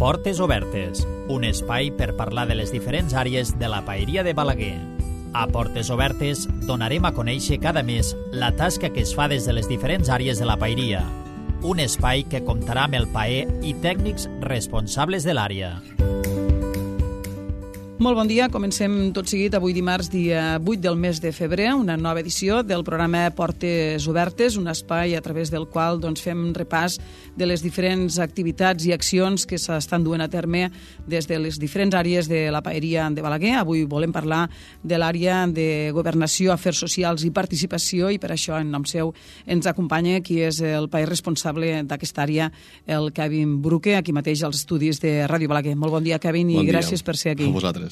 Portes Obertes, un espai per parlar de les diferents àrees de la paeria de Balaguer. A Portes Obertes donarem a conèixer cada mes la tasca que es fa des de les diferents àrees de la paeria. Un espai que comptarà amb el paer i tècnics responsables de l'àrea. Molt bon dia, comencem tot seguit avui dimarts, dia 8 del mes de febrer, una nova edició del programa Portes Obertes, un espai a través del qual fem repàs de les diferents activitats i accions que s'estan duent a terme des de les diferents àrees de la paeria de Balaguer. Avui volem parlar de l'àrea de Governació, Afers Socials i Participació i per això en nom seu ens acompanya qui és el paer responsable d'aquesta àrea, el Kevin Bruque, aquí mateix als estudis de Ràdio Balaguer. Molt bon dia, Kevin, i gràcies per ser aquí. A vosaltres.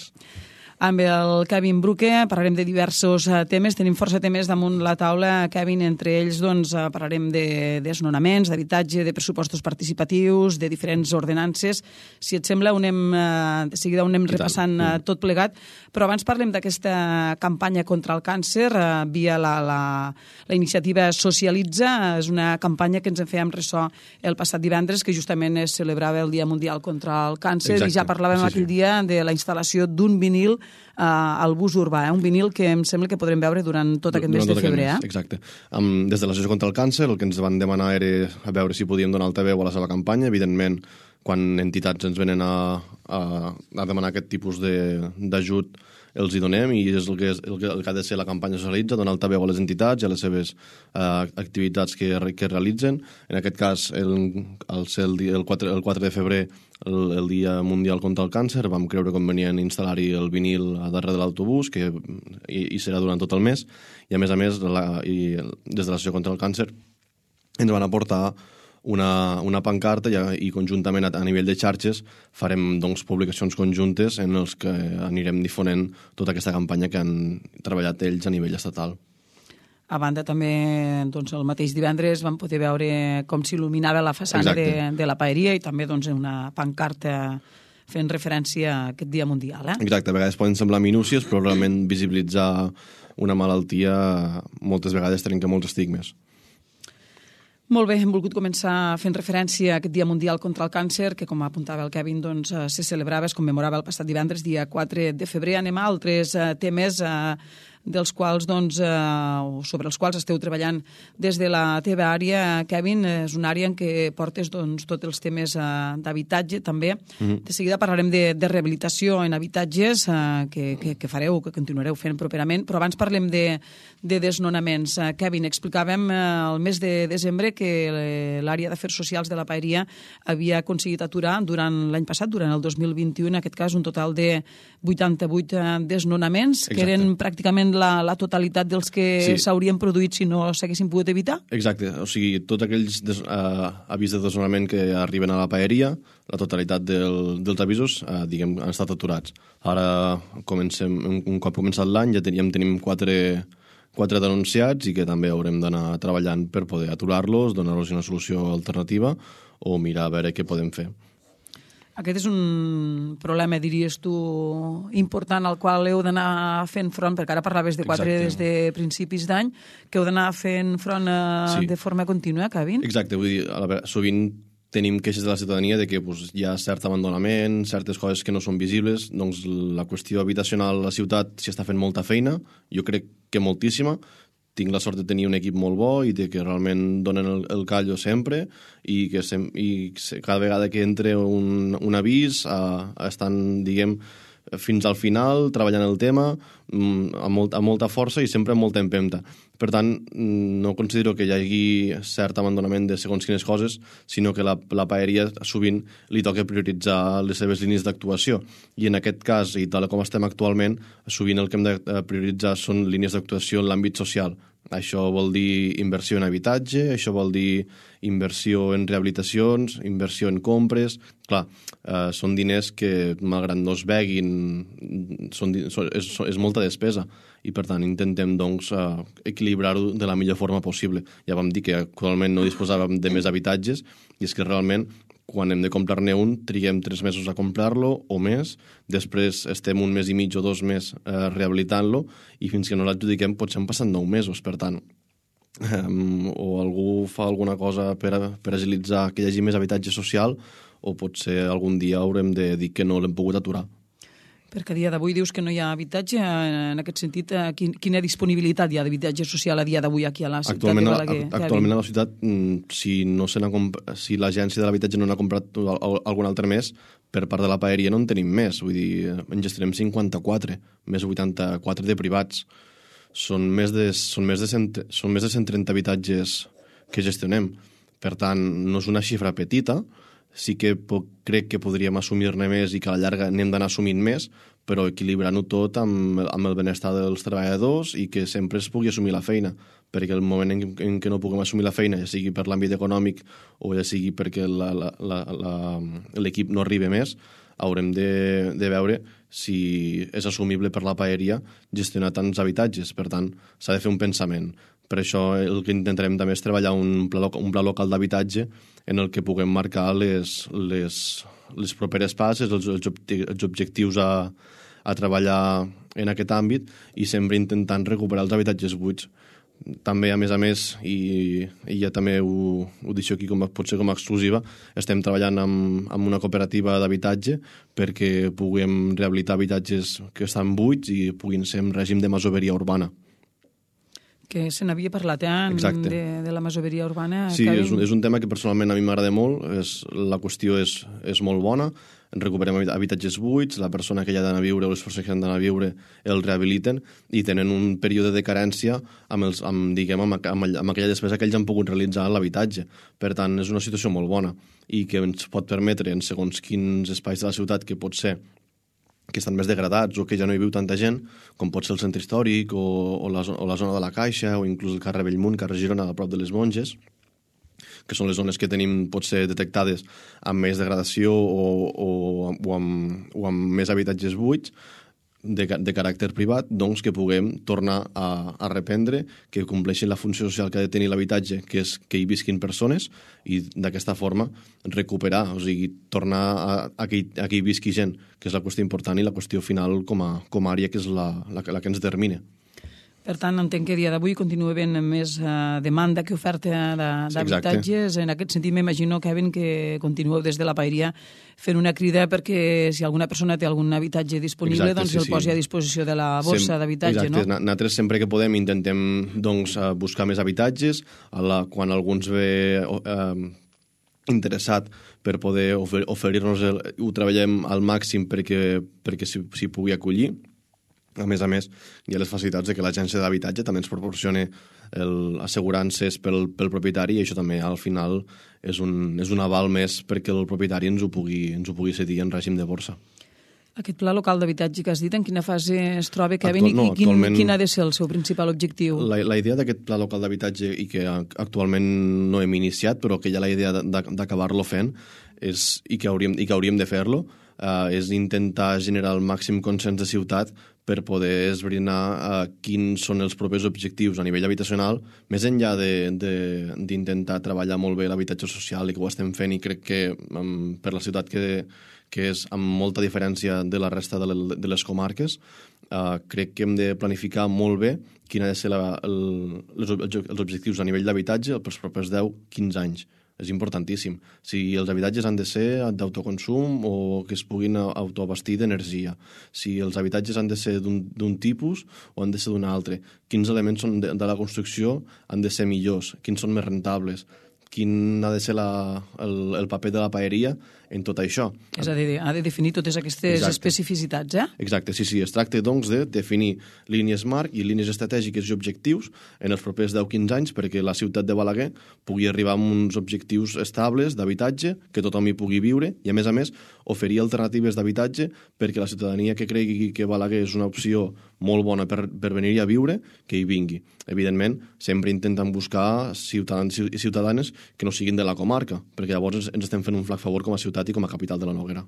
Amb el Kevin Bruque parlarem de diversos temes. Tenim força temes damunt la taula, Kevin. Entre ells parlarem de desnonaments, d'habitatge, de pressupostos participatius, de diferents ordenances. Si et sembla, de seguida ho anem repassant tot plegat. Però abans parlem d'aquesta campanya contra el càncer via la iniciativa Socialitza. És una campanya que ens en fèiem ressò el passat divendres, que justament es celebrava el Dia Mundial contra el Càncer. Exacte. I ja parlàvem aquell dia de la instal·lació d'un vinil al bus urbà, un vinil que em sembla que podrem veure durant tot aquest mes de febrer. Exacte. Des de l'Associació contra el Càncer el que ens van demanar era a veure si podíem donar altaveu a la seva campanya. Evidentment, quan entitats ens venen a demanar aquest tipus d'ajut, els hi donem, i és el que ha de ser la campanya Socialitza, donar altaveu a les entitats i a les seves activitats que realitzen. En aquest cas, el 4 de febrer, el Dia Mundial contra el Càncer, vam creure convenient instal·lar-hi el vinil a darrere de l'autobús, que hi serà durant tot el mes, i a més, des de l'Associació contra el Càncer ens van aportar una pancarta i conjuntament a nivell de xarxes farem publicacions conjuntes en els que anirem difonent tota aquesta campanya que han treballat ells a nivell estatal. A banda, també, el mateix divendres vam poder veure com s'il·luminava la façana de la paeria i també una pancarta fent referència a aquest Dia Mundial. Exacte, a vegades poden semblar minúcies, però realment visibilitzar una malaltia moltes vegades trenca molts estigmes. Molt bé, hem volgut començar fent referència a aquest Dia Mundial contra el Càncer, que, com apuntava el Kevin, se celebrava, es commemorava el passat divendres, dia 4 de febrer. Anem a altres temes dels quals, sobre els quals esteu treballant des de la teva àrea, Kevin. És una àrea en què portes tots els temes d'habitatge, també. De seguida parlarem de rehabilitació en habitatges, que fareu, que continuareu fent properament, però abans parlem de desnonaments. Kevin, explicàvem el mes de desembre que l'àrea d'Afers Socials de la paeria havia aconseguit aturar durant l'any passat, durant el 2021, en aquest cas, un total de 88 desnonaments, que eren pràcticament la totalitat dels que s'haurien produït si no s'haguessin pogut evitar? Exacte, o sigui, tots aquells avís de desnonament que arriben a la paeria, la totalitat dels avisos, han estat aturats. Ara, un cop començat l'any, ja tenim 4 denunciats i que també haurem d'anar treballant per poder aturar-los, donar-los una solució alternativa o mirar a veure què podem fer. Aquest és un problema, diries tu, important al qual heu d'anar fent front, perquè ara parlaves de 4 des de principis d'any, que heu d'anar fent front de forma contínua, Kevin? Exacte, vull dir, sovint tenim queixes de la ciutadania de que hi ha cert abandonament, certes coses que no són visibles, doncs la qüestió habitacional a la ciutat s'hi està fent molta feina, jo crec que moltíssima. Tinc la sort de tenir un equip molt bo i de que realment donen el callo sempre i cada vegada que entra un avís estan, diguem, fins al final treballant el tema amb molta força i sempre amb molta empenta. Per tant, no considero que hi hagi cert abandonament de segons quines coses, sinó que la paeria sovint li toca prioritzar les seves línies d'actuació. I en aquest cas, i tal com estem actualment, sovint el que hem de prioritzar són línies d'actuació en l'àmbit social. Això vol dir inversió en habitatge, això vol dir inversió en rehabilitacions, inversió en compres. Clar, són diners que, malgrat no es veguin, és molta despesa i, per tant, intentem equilibrar-ho de la millor forma possible. Ja vam dir que actualment no disposàvem de més habitatges i és que realment quan hem de comprar-ne un, triguem 3 mesos a comprar-lo o més, després estem 1 mes i mig o 2 més rehabilitant-lo i fins que no l'adjudiquem potser han passat 9 mesos. Per tant, o algú fa alguna cosa per agilitzar que hi hagi més habitatge social o potser algun dia haurem de dir que no l'hem pogut aturar. Perquè a dia d'avui dius que no hi ha habitatge. En aquest sentit, quina disponibilitat hi ha d'habitatge social a dia d'avui aquí a la ciutat de Balaguer? Actualment a la ciutat, si l'agència de l'habitatge no n'ha comprat algun altre més, per part de la paeria no en tenim més. Vull dir, en gestionem 54, més 84 de privats. Són més de 130 habitatges que gestionem. Per tant, no és una xifra petita. Sí que crec que podríem assumir-ne més i que a la llarga n'hem d'anar assumint més, però equilibrant-ho tot amb el benestar dels treballadors i que sempre es pugui assumir la feina, perquè el moment en què no puguem assumir la feina, ja sigui per l'àmbit econòmic o ja sigui perquè l'equip no arriba més, haurem de veure si és assumible per la paeria gestionar tants habitatges. Per tant, s'ha de fer un pensament. Per això el que intentarem també és treballar un pla local d'habitatge en el que puguem marcar les properes passes, els objectius a treballar en aquest àmbit i sempre intentant recuperar els habitatges buits. També, a més, i ja també ho deixo aquí potser com a exclusiva, estem treballant amb una cooperativa d'habitatge perquè puguem rehabilitar habitatges que estan buits i puguin ser en règim de masoveria urbana. Que se n'havia parlat, de la masoveria urbana. Sí, és un tema que personalment a mi m'agrada molt. La qüestió és molt bona. Recuperem habitatges buits, la persona que hi ha d'anar a viure o les persones que han d'anar a viure el rehabiliten i tenen un període de carència amb aquella despesa que ells han pogut realitzar en l'habitatge. Per tant, és una situació molt bona i que ens pot permetre, en segons quins espais de la ciutat que pot ser que estan més degradats o que ja no hi viu tanta gent, com pot ser el centre històric o la zona de la Caixa o inclús el carrer Bellmunt, carrer Girona, a prop de les Monges, que són les zones que tenim potser detectades amb més degradació o amb més habitatges buits de caràcter privat, doncs que puguem tornar a reprendre, que compleixin la funció social que ha de tenir l'habitatge, que és que hi visquin persones, i d'aquesta forma recuperar, o sigui, tornar a que hi visqui gent, que és la qüestió important i la qüestió final com a àrea, que és la que ens determina. Per tant, entenc que a dia d'avui continua havent més demanda que oferta d'habitatges. En aquest sentit, m'imagino, Kevin, que continueu des de la paeria fent una crida perquè si alguna persona té algun habitatge disponible, doncs el posi a disposició de la borsa d'habitatge, no? Exacte. Nosaltres sempre que podem intentem buscar més habitatges. Quan algú ens ve interessat per poder oferir-nos ho treballem al màxim perquè s'hi pugui acollir. A més, hi ha les facilitats de que l'agència d'habitatge també ens proporciona assegurances pel propietari i això també al final és un aval més perquè el propietari ens ho pugui cedir en règim de borsa. Aquest pla local d'habitatge que has dit, en quina fase es troba, Kevin, i quin ha de ser el seu principal objectiu? La idea d'aquest pla local d'habitatge, i que actualment no hem iniciat, però que hi ha la idea d'acabar-lo fent, i que hauríem de fer-lo, és intentar generar el màxim consens de ciutat per poder esbrinar quins són els propers objectius a nivell habitacional, més enllà d'intentar treballar molt bé l'habitatge social, i que ho estem fent, i crec que per la ciutat que és amb molta diferència de la resta de les comarques, crec que hem de planificar molt bé quin ha de ser els objectius a nivell d'habitatge pels propers 10-15 anys. És importantíssim. Si els habitatges han de ser d'autoconsum o que es puguin autoabastir d'energia, si els habitatges han de ser d'un tipus o han de ser d'un altre, quins elements de la construcció han de ser millors, quins són més rentables, quin ha de ser el paper de la paeria en tot això. És a dir, ha de definir totes aquestes especificitats, Exacte, sí. Es tracta, doncs, de definir línies marc i línies estratègiques i objectius en els propers 10-15 anys perquè la ciutat de Balaguer pugui arribar amb uns objectius estables d'habitatge, que tothom hi pugui viure i, a més, oferir alternatives d'habitatge perquè la ciutadania que cregui que Balaguer és una opció molt bona per venir-hi a viure, que hi vingui. Evidentment, sempre intenten buscar ciutadans i ciutadanes que no siguin de la comarca, perquè llavors ens estem fent un flac favor com a ciutat i com a capital de la Noguera.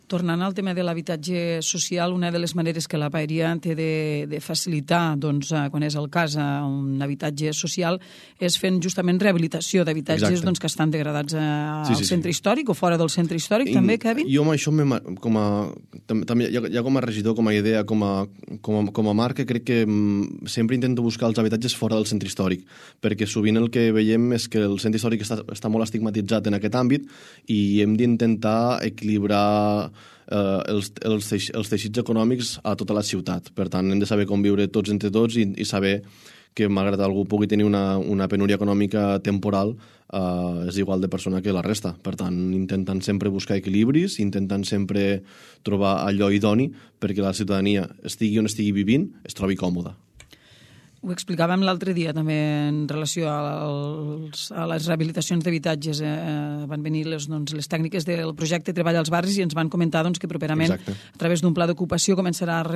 Tornant al tema de l'habitatge social, una de les maneres que la paeria té de facilitar, doncs, quan és el cas, un habitatge social, és fent justament rehabilitació d'habitatges doncs, que estan degradats al centre històric o fora del centre històric, també, Kevin? Jo amb això, també ja com a regidor, com a idea, com a marca, crec que sempre intento buscar els habitatges fora del centre històric, perquè sovint el que veiem és que el centre històric està molt estigmatitzat en aquest àmbit i hem d'intentar equilibrar els teixits econòmics a tota la ciutat. Per tant, hem de saber conviure tots entre tots i saber que, malgrat algú pugui tenir una penúria econòmica temporal, és igual de persona que la resta. Per tant, intentant sempre buscar equilibris, intentant sempre trobar allò idoni perquè la ciutadania, estigui on estigui vivint, es trobi còmoda. Ho explicàvem l'altre dia també en relació a les rehabilitacions d'habitatges. Van venir les tècniques del projecte Treball als Barris i ens van comentar que properament, a través d'un pla d'ocupació, començarà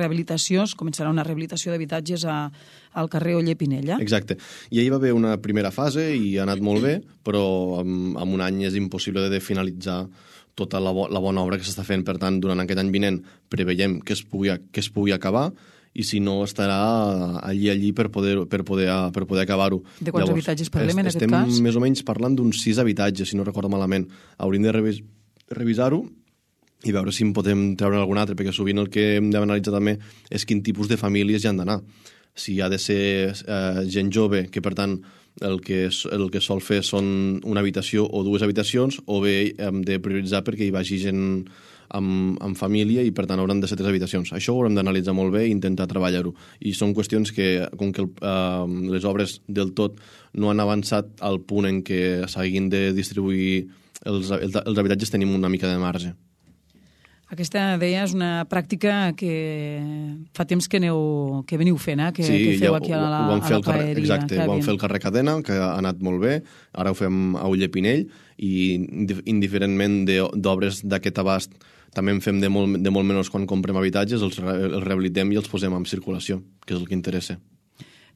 una rehabilitació d'habitatges al carrer Oller Pinella. Exacte. I ahir va haver una primera fase i ha anat molt bé, però en un any és impossible de finalitzar tota la bona obra que s'està fent. Per tant, durant aquest any vinent preveiem que es pugui acabar, i si no estarà allí per poder acabar-ho. De quants habitatges parlem en aquest cas? Estem més o menys parlant d'uns 6 habitatges, si no recordo malament. Hauríem de revisar-ho i veure si en podem treure algun altre, perquè sovint el que hem d'analitzar també és quin tipus de famílies hi han d'anar. Si ha de ser gent jove, que per tant el que sol fer són una habitació o 2 habitacions, o bé hem de prioritzar perquè hi vagi gent amb família i per tant hauran de ser 3 habitacions. Això ho haurem d'analitzar molt bé i intentar treballar-ho. I són qüestions que, com que les obres del tot no han avançat al punt en què s'hagin de distribuir els habitatges, tenim una mica de marge. Aquesta, deia, és una pràctica que fa temps que veniu fent, que feu aquí a la paeria. Exacte, ho vam fer al carrer Cadena, que ha anat molt bé, ara ho fem a Oller Pinell, i indiferentment d'obres d'aquest abast també en fem de molt menys quan comprem habitatges, els rehabilitem i els posem en circulació, que és el que interessa.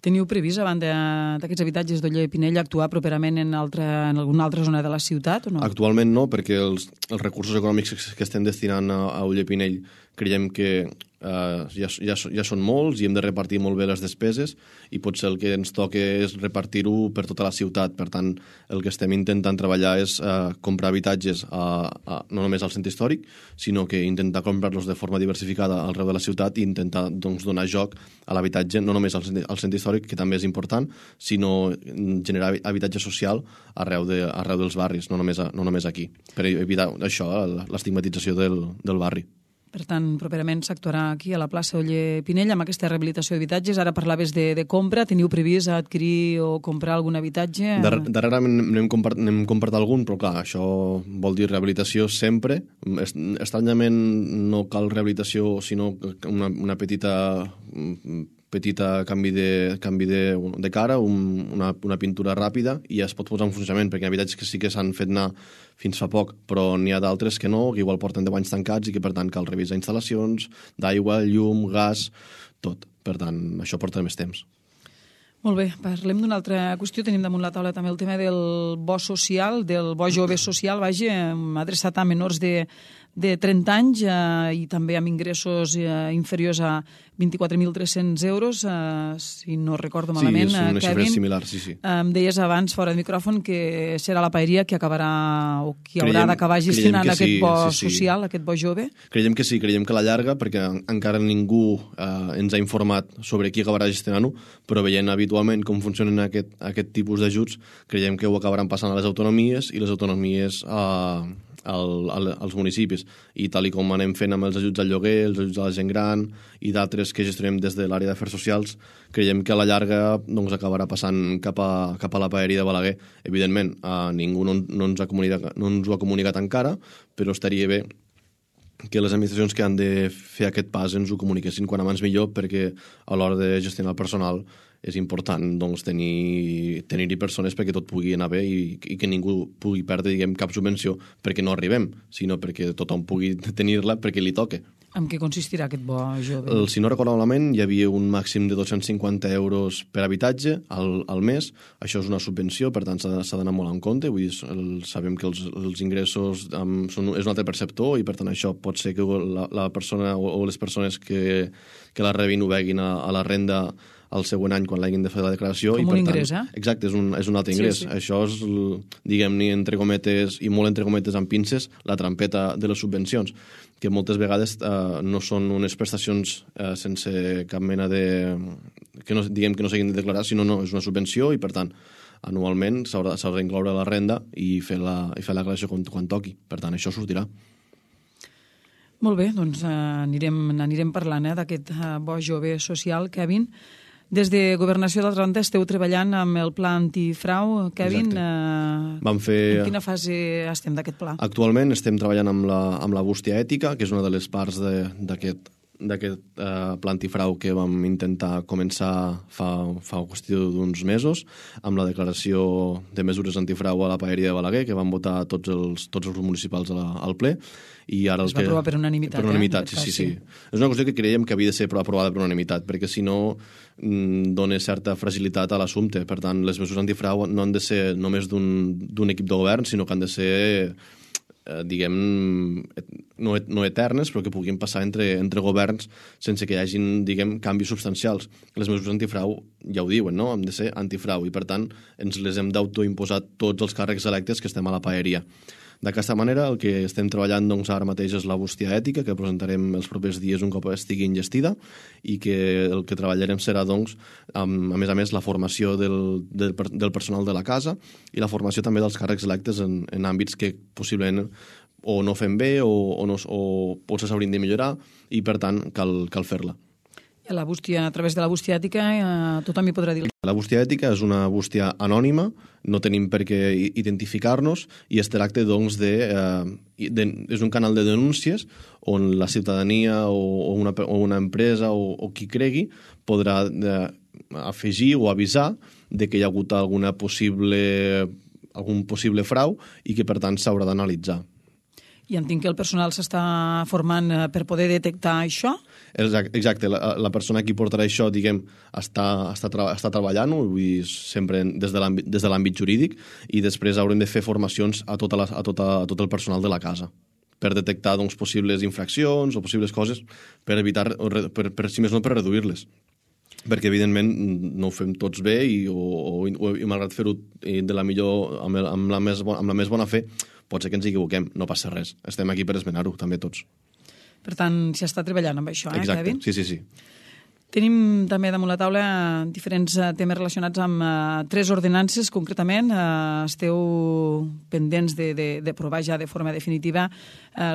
Teniu previst, a banda d'aquests habitatges d'Oller Pinell, actuar properament en alguna altra zona de la ciutat o no? Actualment no, perquè els recursos econòmics que estem destinant a Oller Pinell creiem que ja són molts i hem de repartir molt bé les despeses i potser el que ens toca és repartir-ho per tota la ciutat. Per tant, el que estem intentant treballar és comprar habitatges no només al centre històric, sinó que intentar comprar-los de forma diversificada arreu de la ciutat i intentar donar joc a l'habitatge, no només al centre històric, que també és important, sinó generar habitatge social arreu dels barris, no només aquí, per evitar això, l'estigmatització del barri. Per tant, properament s'actuarà aquí a la plaça Oller Pinell amb aquesta rehabilitació d'habitatges. Ara parlaves de compra. Teniu previst adquirir o comprar algun habitatge? Darrerament n'hem comprat algun, però clar, això vol dir rehabilitació sempre. Estranyament no cal rehabilitació, sinó una petita canvi de cara, una pintura ràpida, i ja es pot posar en funcionament, perquè hi ha habitatges que sí que s'han fet anar fins fa poc, però n'hi ha d'altres que no, que igual porten 10 anys tancats i que per tant cal revisar instal·lacions d'aigua, llum, gas, tot. Per tant, això porta més temps. Molt bé, parlem d'una altra qüestió. Tenim damunt la taula també el tema del bo social, del bo jove social, adreçat a menors de 30 anys i també amb ingressos inferiors a 24.300 euros, si no recordo malament. Sí, és una xifra similar, sí. Em deies abans, fora de micròfon, que serà la paeria qui acabarà o qui haurà d'acabar gestionant aquest bo social, aquest bo jove? Creiem que sí, creiem que a la llarga, perquè encara ningú ens ha informat sobre qui acabarà gestionant-ho, però veient habitualment com funcionen aquest tipus d'ajuts, creiem que ho acabaran passant a les autonomies i les autonomies als municipis, i tal com anem fent amb els ajuts al lloguer, els ajuts a la gent gran i d'altres que gestionem des de l'àrea d'afers socials, creiem que a la llarga acabarà passant cap a la paeria de Balaguer. Evidentment, ningú no ens ho ha comunicat encara, però estaria bé que les administracions que han de fer aquest pas ens ho comuniquessin quan abans millor, perquè a l'hora de gestionar el personal és important tenir-hi persones perquè tot pugui anar bé i que ningú pugui perdre cap subvenció perquè no arribem, sinó perquè tothom pugui tenir-la perquè li toca. En què consistirà aquest bo jove? Si no recordo malament, hi havia un màxim de 250 euros per habitatge al mes. Això és una subvenció, per tant s'ha d'anar molt en compte. Vull dir, sabem que els ingressos és un altre perceptor i per tant això pot ser que la persona o les persones que la rebin ho veguin a la renda el següent any quan l'hagin de fer la declaració. Com un ingrés, Exacte, és un altre ingrés. Sí. Això és, diguem-ne, entre cometes, i molt entre cometes amb pinces, la trampeta de les subvencions, que moltes vegades no són unes prestacions sense cap mena de... diguem que no s'hagin de declarar, sinó és una subvenció i, per tant, anualment s'haurà d'incloure la renda i fer la declaració quan toqui. Per tant, això sortirà. Molt bé, doncs anirem parlant d'aquest bo jove social, Kevin. Des de Governació d'Altra Banda esteu treballant amb el pla antifrau. Kevin, en quina fase estem d'aquest pla? Actualment estem treballant amb la bústia ètica, que és una de les parts d'aquest pla antifrau que vam intentar començar fa qüestió d'uns mesos, amb la declaració de mesures antifrau a la paeria de Balaguer, que van votar tots els grups municipals al ple. I ara es va aprovar per unanimitat. Per unanimitat, sí. És una qüestió que creiem que havia de ser aprovada per unanimitat, perquè si no dona certa fragilitat a l'assumpte. Per tant, les mesures antifrau no han de ser només d'un equip de govern, sinó que han de ser, diguem, no eternes, però que puguin passar entre governs sense que hi hagin, diguem, canvis substancials. Les mesures antifrau ja ho diuen, no? Han de ser antifrau i, per tant, ens les hem d'autoimposar tots els càrrecs electes que estem a la paeria. D'aquesta manera, el que estem treballant ara mateix és la bústia ètica, que presentarem els propers dies un cop estigui enllestida, i que el que treballarem serà, a més, la formació del personal de la casa i la formació també dels càrrecs electes en àmbits que possiblement o no fem bé o potser s'haurien de millorar i, per tant, cal fer-la. A través de la bústia ètica tothom hi podrà dir. La bústia ètica és una bústia anònima, no tenim per què identificar-nos i es tracta, és un canal de denúncies on la ciutadania o una empresa o qui cregui podrà afegir o avisar de que hi ha hagut algun possible frau i que, per tant, s'haurà d'analitzar. I entenc que el personal s'està formant per poder detectar això? Exacte, la persona que portarà això, diguem, està treballant-ho, sempre des de l'àmbit jurídic, i després haurem de fer formacions a tot el personal de la casa per detectar possibles infraccions o possibles coses per evitar, si més no, per reduir-les. Perquè, evidentment, no ho fem tots bé i malgrat fer-ho amb la més bona fe, pot ser que ens equivoquem, no passa res. Estem aquí per esmenar-ho, també tots. Per tant, s'hi està treballant amb això, Exacte. Kevin? Sí. Tenim també damunt la taula diferents temes relacionats amb 3 ordenances, concretament. Esteu pendents d'aprovar ja de forma definitiva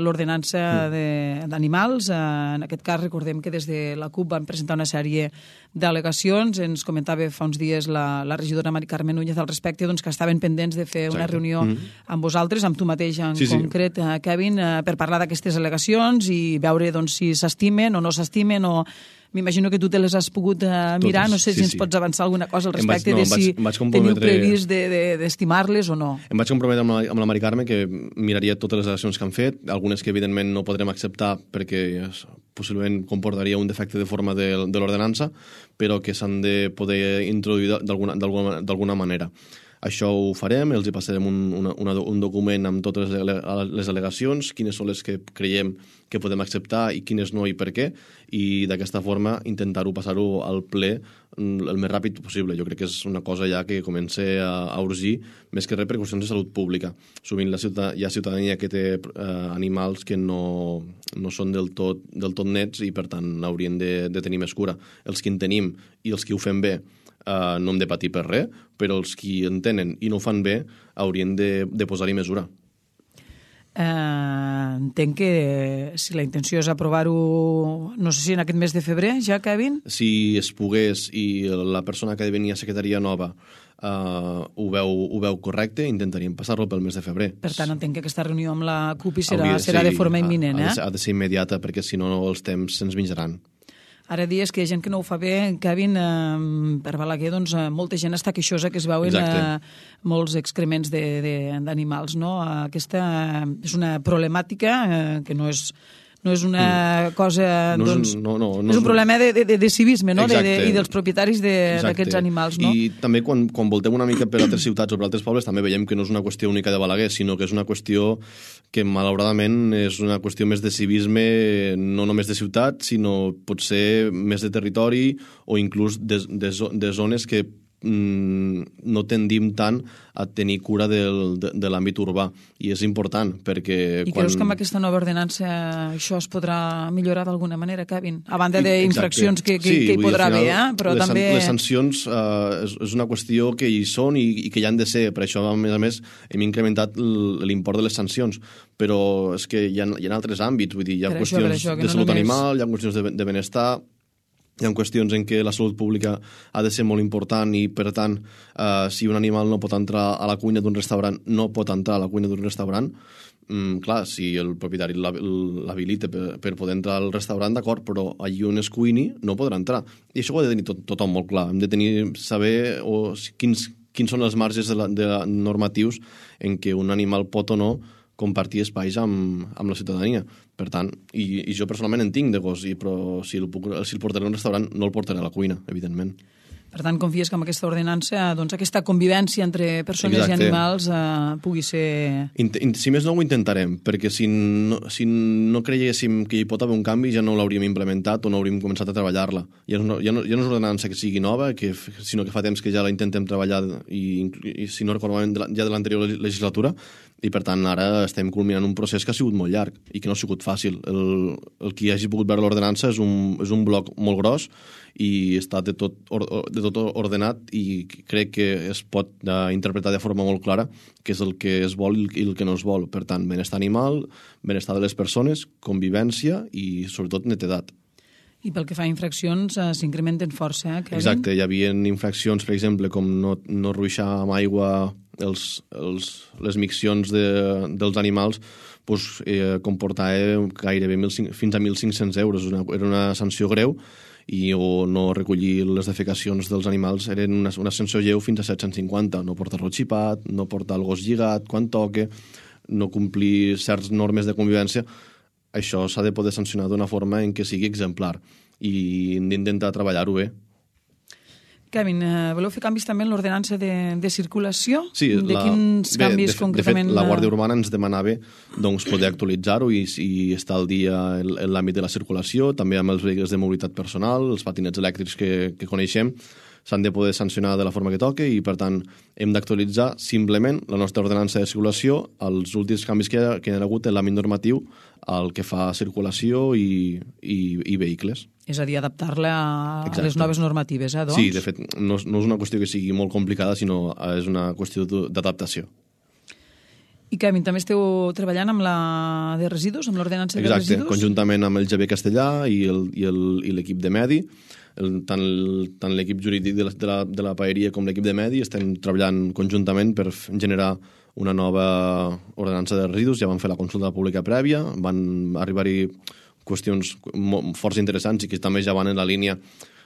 l'ordenança d'animals. En aquest cas, recordem que des de la CUP van presentar una sèrie d'al·legacions. Ens comentava fa uns dies la regidora Mari Carmen Núñez al respecte, que estaven pendents de fer una reunió amb vosaltres, amb tu mateix en concret, Kevin, per parlar d'aquestes al·legacions i veure si s'estimen o no s'estimen o... M'imagino que tu te les has pogut mirar, no sé si ens pots avançar alguna cosa al respecte de si teniu previst d'estimar-les o no. Em vaig comprometre amb la Mari Carme que miraria totes les accions que han fet, algunes que evidentment no podrem acceptar perquè possiblement comportaria un defecte de forma de l'ordenança, però que s'han de poder introduir d'alguna manera. Això ho farem, els hi passarem un document amb totes les al·legacions, quines són les que creiem que podem acceptar i quines no i per què, i d'aquesta forma intentar-ho passar-ho al ple el més ràpid possible. Jo crec que és una cosa ja que comença a urgir, més que res per qüestions de salut pública. Sovint hi ha ciutadania que té animals que no són del tot nets i per tant haurien de tenir més cura. Els que en tenim i els que ho fem bé no hem de patir per res, però els qui en tenen i no ho fan bé haurien de posar-hi mesura. Entenc que si la intenció és aprovar-ho, no sé si en aquest mes de febrer ja, Kevin? Si es pogués i la persona que ha de venir a secretaria nova ho veu correcte, intentaríem passar-lo pel mes de febrer. Per tant, entenc que aquesta reunió amb la CUP serà de forma imminent, Ha de ser immediata, perquè si no els temps se'ns menjaran. Ara dies que hi ha gent que no ho fa bé, Kevin, per Balaguer, molta gent està queixosa que es veuen molts excrements d'animals, no? Aquesta és una problemàtica que no és No és una cosa... No doncs, és és un problema de civisme, no? Exacte. I dels propietaris d'aquests animals, no? I també quan voltem una mica per altres ciutats o per altres pobles també veiem que no és una qüestió única de Balaguer, sinó que és una qüestió que malauradament és una qüestió més de civisme, no només de ciutat, sinó potser més de territori o inclús de zones que no tendim tant a tenir cura de l'àmbit urbà, i és important perquè... I creus que amb aquesta nova ordenança això es podrà millorar d'alguna manera, Kevin? A banda d'infraccions que hi podrà haver, però també... Les sancions és una qüestió que hi són i que hi han de ser, per això a més hem incrementat l'import de les sancions, però és que hi ha altres àmbits, vull dir, hi ha qüestions de salut animal, hi ha qüestions de benestar, hi ha qüestions en què la salut pública ha de ser molt important i, per tant, si un animal no pot entrar a la cuina d'un restaurant, no pot entrar a la cuina d'un restaurant. Clar, si el propietari l'habilita per poder entrar al restaurant, d'acord, però allí on es cuini no podrà entrar. I això ho ha de tenir tothom molt clar. Hem de saber quins són els marges normatius en què un animal pot o no compartir espais amb la ciutadania. Per tant, i jo personalment en tinc de gos, però si el portaré a un restaurant no el portaré a la cuina, evidentment. Per tant, confies que amb aquesta ordenança doncs, aquesta convivència entre persones i animals pugui ser... Si més no, ho intentarem, perquè si no creguéssim que hi pot haver un canvi ja no l'hauríem implementat o no hauríem començat a treballar-la. Ja no és una ordenança que sigui nova, sinó que fa temps que ja la intentem treballar i si no recordo ja de l'anterior legislatura, i per tant ara estem culminant un procés que ha sigut molt llarg i que no ha sigut fàcil. El que hagi pogut veure l'ordenança és un bloc molt gros i està de tot ordenat, i crec que es pot interpretar de forma molt clara què és el que es vol i el que no es vol. Per tant, benestar animal, benestar de les persones, convivència i sobretot netedat. I pel que fa a infraccions, s'incrementen força, Kevin? Exacte, hi havia infraccions, per exemple, com no ruixar amb aigua les miccions dels animals, comportava gairebé fins a 1.500 euros. Era una sanció greu, o no recollir les defecacions dels animals eren una sanció lleu fins a 750. No portar-lo xipat, no portar el gos lligat quan toque, no complir certes normes de convivència. Això s'ha de poder sancionar d'una forma en què sigui exemplar i hem d'intentar treballar-ho bé. Kevin, voleu fer canvis també en l'ordenança de circulació? Sí, quins canvis concretament? De fet, la Guàrdia Urbana ens demanava poder actualitzar-ho i estar al dia en l'àmbit de la circulació, també amb els vehicles de mobilitat personal, els patinets elèctrics que coneixem, s'han de poder sancionar de la forma que toque i, per tant, hem d'actualitzar simplement la nostra ordenança de circulació als últims canvis que hi ha hagut en l'àmbit normatiu al que fa circulació i vehicles. És a dir, adaptar-la a les noves normatives, doncs? Sí, de fet, no és una qüestió que sigui molt complicada, sinó és una qüestió d'adaptació. I, Kevin, també esteu treballant amb la de residus, amb l'ordenança de residus? Exacte, conjuntament amb el GB Castellà i l'equip de Medi, tant l'equip jurídic de la paeria com l'equip de Medi estem treballant conjuntament per generar una nova ordenança de residus. Ja van fer la consulta pública prèvia, van arribar-hi qüestions força interessants i que també ja van en la línia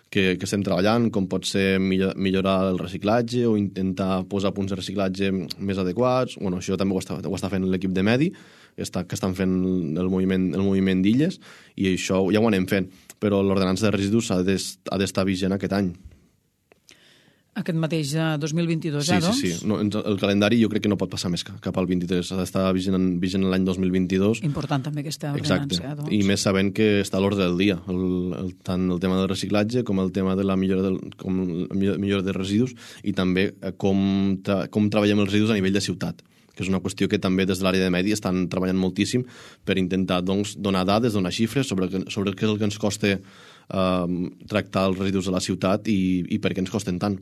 que estem treballant, com pot ser millorar el reciclatge o intentar posar punts de reciclatge més adequats. Bueno, això també ho està fent l'equip de Medi, que estan fent el moviment d'illes, i això ja ho anem fent, però l'ordenança de residus ha d'estar vigent aquest any. Aquest mateix 2022, doncs? Sí. No, el calendari jo crec que no pot passar més cap al 23. Ha d'estar vigent l'any 2022. Important també aquesta ordenança, doncs. I més sabent que està a l'ordre del dia, tant el tema del reciclatge com el tema de la millora de residus, i també com treballem els residus a nivell de ciutat, que és una qüestió que també des de l'àrea de Medi estan treballant moltíssim per intentar donar dades, donar xifres sobre què és el que ens costa tractar els residus a la ciutat i per què ens costen tant.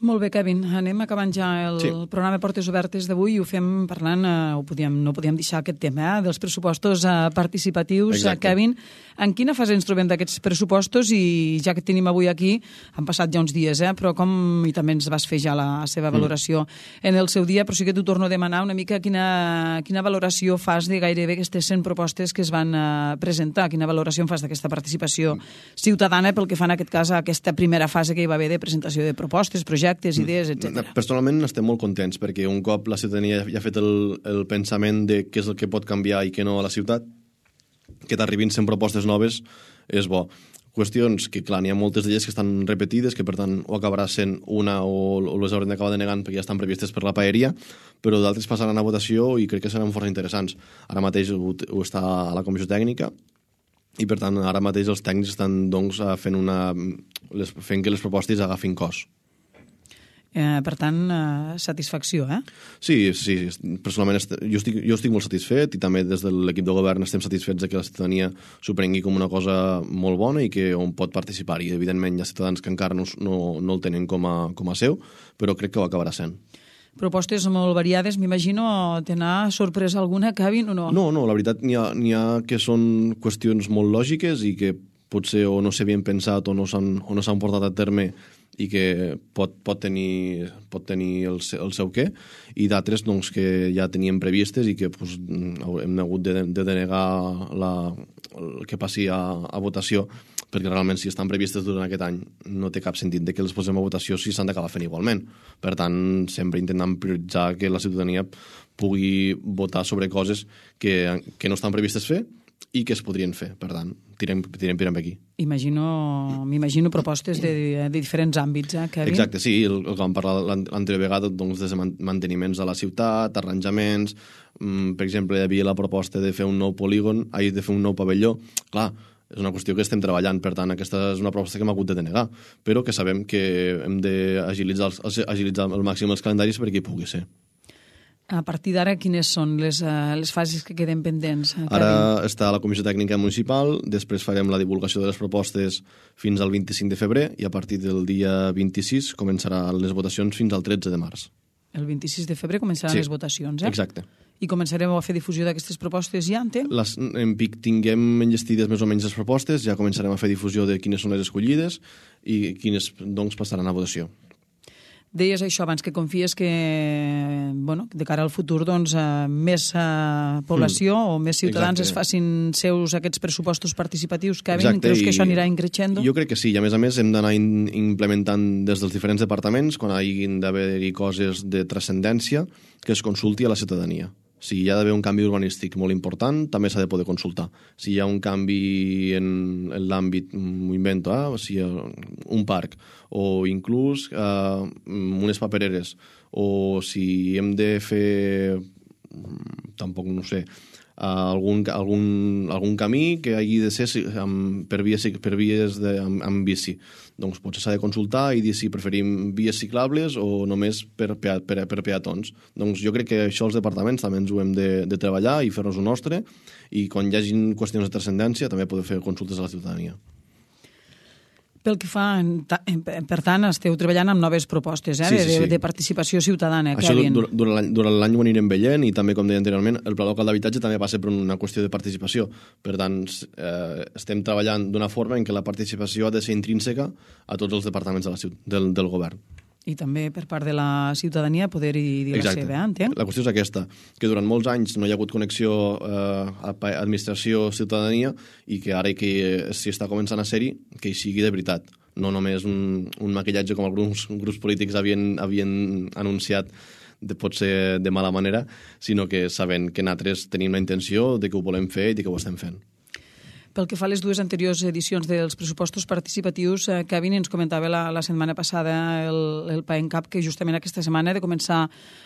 Molt bé, Kevin. Anem acabant ja el programa Portes Obertes d'avui i ho fem parlant, no podíem deixar aquest tema dels pressupostos participatius. Exacte. Kevin, en quina fase ens trobem d'aquests pressupostos? I ja que tenim avui aquí, han passat ja uns dies, però i també ens vas fer ja la seva valoració en el seu dia, però sí que t'ho torno a demanar una mica quina valoració fas de gairebé aquestes 100 propostes que es van presentar. Quina valoració en fas d'aquesta participació ciutadana pel que fa en aquest cas a aquesta primera fase que hi va haver de presentació de propostes, projectes, idees, etc. Personalment estem molt contents perquè un cop la ciutadania ja ha fet el pensament de què és el que pot canviar i què no a la ciutat, que t'arribin 100 propostes noves és bo. Qüestions que, clar, n'hi ha moltes d'elles que estan repetides, que per tant o acabarà sent una o les haurem d'acabar denegant perquè ja estan previstes per la paeria, però d'altres passaran a votació i crec que seran força interessants. Ara mateix ho està a la comissió tècnica i per tant ara mateix els tècnics estan doncs, fent que les propostes agafin cos. Per tant, satisfacció, eh? Sí, personalment jo estic molt satisfet i també des de l'equip de govern estem satisfets que la ciutadania s'ho prengui com una cosa molt bona i que on pot participar. I evidentment hi ha ciutadans que encara no el tenen com a seu, però crec que ho acabarà sent. Propostes molt variades, m'imagino. Te n'ha sorpresa alguna, Kevin, o no? No, la veritat n'hi ha que són qüestions molt lògiques i que potser o no s'havien pensat o no s'han portat a terme i que pot tenir el seu què, i d'altres doncs, que ja teníem previstes i que doncs, hem hagut de denegar que passi a votació, perquè realment si estan previstes durant aquest any no té cap sentit de que les posem a votació si s'han d'acabar fent igualment. Per tant, sempre intentant prioritzar que la ciutadania pugui votar sobre coses que no estan previstes fer i que es podrien fer. Per tant, tirem per aquí. M'imagino propostes de diferents àmbits, Kevin? Exacte, sí, el que vam parlar l'anterior vegada, doncs, de manteniments a la ciutat, arranjaments, per exemple, hi havia la proposta de fer un nou polígon, de fer un nou pavelló. Clar, és una qüestió que estem treballant, per tant, aquesta és una proposta que hem hagut de denegar, però que sabem que hem d'agilitzar al màxim els calendaris perquè hi pugui ser. A partir d'ara, quines són les fases que queden pendents? Ara està la Comissió Tècnica Municipal, després farem la divulgació de les propostes fins al 25 de febrer i a partir del dia 26 començaran les votacions fins al 13 de març. El 26 de febrer començaran les votacions, Exacte. I començarem a fer difusió d'aquestes propostes ja, entenc? En pic tinguem enllestides més o menys les propostes, ja començarem a fer difusió de quines són les escollides i quines doncs, passaran a votació. Deies això abans, que confies que de cara al futur doncs, més població o més ciutadans es facin seus aquests pressupostos participatius. Kevin, creus que això anirà increixendo? Jo crec que sí, i a més hem d'anar implementant des dels diferents departaments, quan hagin d'haver-hi coses de transcendència, que es consulti a la ciutadania. Si hi ha d'haver un canvi urbanístic molt important, també s'ha de poder consultar. Si hi ha un canvi en l'àmbit, m'ho invento, si hi ha un parc, o inclús unes papereres, o si hem de fer, tampoc no sé, algun camí que hagi de ser per vies amb bici. Doncs potser s'ha de consultar i dir si preferim vies ciclables o només per peatons. Doncs jo crec que això els departaments també ens ho hem de treballar i fer-nos un nostre, i quan hi hagi qüestions de transcendència també poder fer consultes a la ciutadania. Pel que fa, per tant, esteu treballant amb noves propostes de participació ciutadana, Kevin. Això durant l'any ho anirem veient, i també, com deia anteriorment, el pla local d'habitatge també passa per una qüestió de participació. Per tant, estem treballant d'una forma en què la participació ha de ser intrínseca a tots els departaments del govern. I també per part de la ciutadania poder-hi dir la seva, entenc? La qüestió és aquesta, que durant molts anys no hi ha hagut connexió administració-ciutadania, i que ara que s'hi està començant a ser-hi, que hi sigui de veritat. No només un maquillatge com alguns grups polítics havien anunciat potser de mala manera, sinó que sabent que nosaltres tenim la intenció de que ho volem fer i de que ho estem fent. Pel que fa a les dues anteriors edicions dels pressupostos participatius, Kevin ens comentava la setmana passada el PAENCAP que justament aquesta setmana ha de començar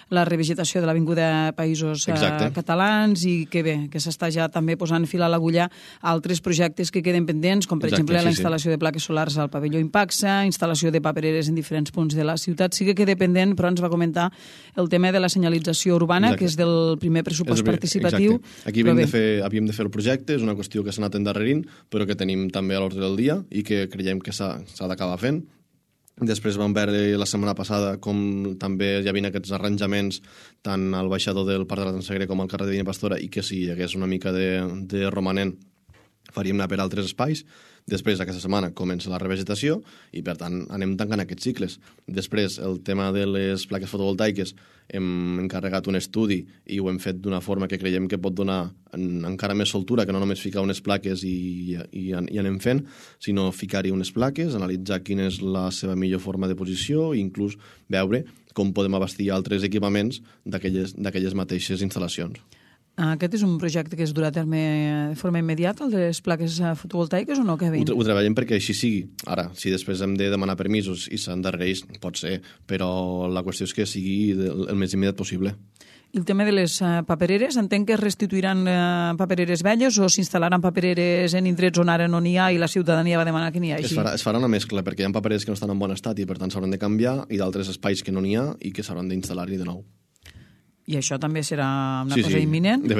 la revegetació de l'Avinguda Països Catalans, i que bé, que s'està ja també posant fil a l'agulla a altres projectes que queden pendents, com per exemple la instal·lació de plaques solars al pavelló Impaxa, instal·lació de papereres en diferents punts de la ciutat. Sí que queda pendent, però ens va comentar el tema de la senyalització urbana, que és del primer pressupost participatiu. Aquí havíem de fer el projecte, és una qüestió que s'ha anat endarrerint, però que tenim també a l'ordre del dia i que creiem que s'ha d'acabar fent. Després vam veure la setmana passada com també hi havia aquests arranjaments tant al baixador del Parc de la Transegre com al carrer de Dina Pastora, i que si hi hagués una mica de romanent faríem anar per altres espais. Després, aquesta setmana, comença la revegetació i, per tant, anem tancant aquests cicles. Després, el tema de les plaques fotovoltaiques, hem encarregat un estudi i ho hem fet d'una forma que creiem que pot donar encara més soltura, que no només ficar unes plaques i anem fent, sinó ficar-hi unes plaques, analitzar quina és la seva millor forma de posició i inclús veure com podem abastir altres equipaments d'aquelles mateixes instal·lacions. Aquest és un projecte que es durà a terme de forma immediata, el de les plaques fotovoltaiques, o no, Kevin? Ho treballem perquè així sigui. Ara, si després hem de demanar permisos i s'endarrereix, pot ser, però la qüestió és que sigui el més immediat possible. I el tema de les papereres, entenc que es restituiran papereres velles o s'instal·laran papereres en indrets on ara no n'hi ha i la ciutadania va demanar que n'hi hagi? Es farà una mescla, perquè hi ha papereres que no estan en bon estat i per tant s'hauran de canviar, i d'altres espais que no n'hi ha i que s'hauran d'instal·lar-hi de nou. I això també serà una cosa imminent? De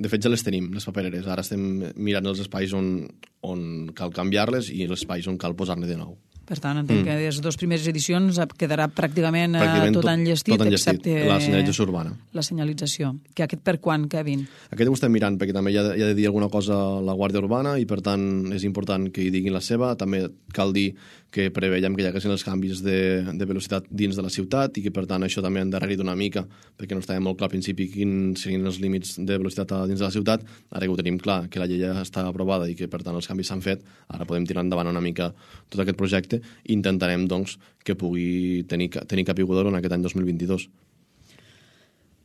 fet, ja les tenim, les papereres. Ara estem mirant els espais on cal canviar-les i els espais on cal posar-ne de nou. Per tant, entenc que les dues primeres edicions quedarà pràcticament tot enllestit, excepte la senyalització urbana. La senyalització. Que aquest per quan, Kevin? Aquest ho estem mirant, perquè també hi ha de dir alguna cosa la Guàrdia Urbana i, per tant, és important que hi diguin la seva. També cal dir que preveiem que hi haguessin els canvis de velocitat dins de la ciutat i que, per tant, això també ha endarrerit una mica, perquè no estava molt clar al principi quins serien els límits de velocitat dins de la ciutat. Ara que ho tenim clar, que la llei ja està aprovada i que, per tant, els canvis s'han fet, ara podem tirar endavant una mica tot aquest projecte i intentarem, doncs, que pugui tenir capiguda en aquest any 2022.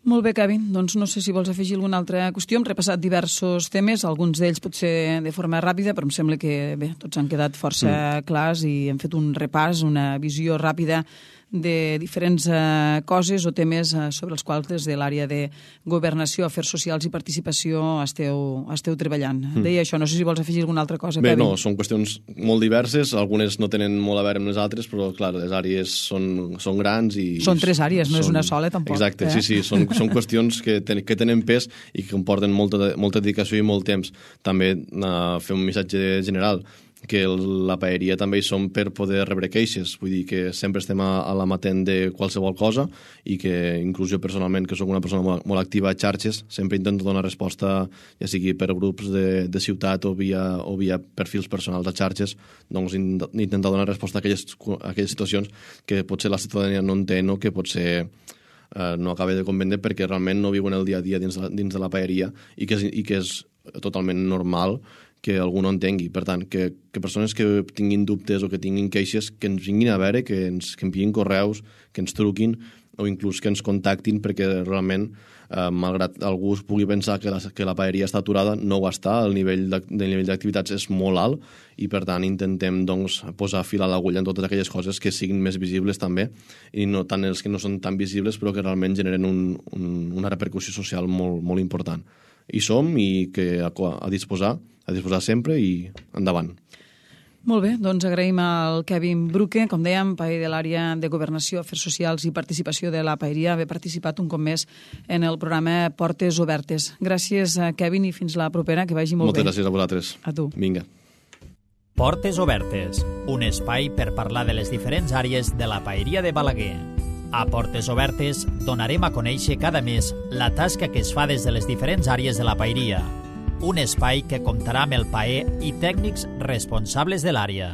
Molt bé, Kevin. Doncs no sé si vols afegir alguna altra qüestió. Hem repassat diversos temes, alguns d'ells potser de forma ràpida, però em sembla que bé, tots han quedat força clars i hem fet un repàs, una visió ràpida de diferents coses o temes sobre els quals des de l'àrea de Governació, Afers Socials i Participació esteu treballant. Deia això, no sé si vols afegir alguna altra cosa, Bé, Kevin. no, són qüestions molt diverses, algunes no tenen molt a veure amb les altres, però, clar, les àrees són grans i... Són 3 àrees, no és una sola, tampoc. Exacte, sí, són qüestions que tenen pes i que comporten molta dedicació i molt temps. També fer un missatge general, que la paeria també hi som per poder rebre queixes, vull dir que sempre estem a l'amatent de qualsevol cosa i que inclús jo personalment, que sóc una persona molt activa a xarxes, sempre intento donar resposta, ja sigui per grups de ciutat o via perfils personals a xarxes, doncs intentar donar resposta a aquelles situacions que potser la ciutadania no entén o que potser no acaba de convendre perquè realment no viuen el dia a dia dins de la paeria i que és totalment normal que algú no entengui. Per tant, que persones que tinguin dubtes o que tinguin queixes, que ens vinguin a veure, que ens envien correus, que ens truquin o inclús que ens contactin, perquè realment, malgrat algú pugui pensar que la paeria està aturada, no ho està, el nivell d'activitats és molt alt i, per tant, intentem doncs, posar fil a l'agulla en totes aquelles coses que siguin més visibles també i no tant els que no són tan visibles però que realment generen una repercussió social molt, molt important. Hi som i que a disposar sempre i endavant. Molt bé, doncs agraïm al Kevin Bruque, com dèiem, paer de l'àrea de Governació, Afers Socials i Participació de la Paeria, haver participat un cop més en el programa Portes Obertes. Gràcies, Kevin, i fins la propera, que vagi molt bé. Moltes gràcies a vosaltres. A tu. Vinga. Portes Obertes, un espai per parlar de les diferents àrees de la Paeria de Balaguer. A Portes Obertes donarem a conèixer cada mes la tasca que es fa des de les diferents àrees de la paeria. Un espai que comptarà amb el paer i tècnics responsables de l'àrea.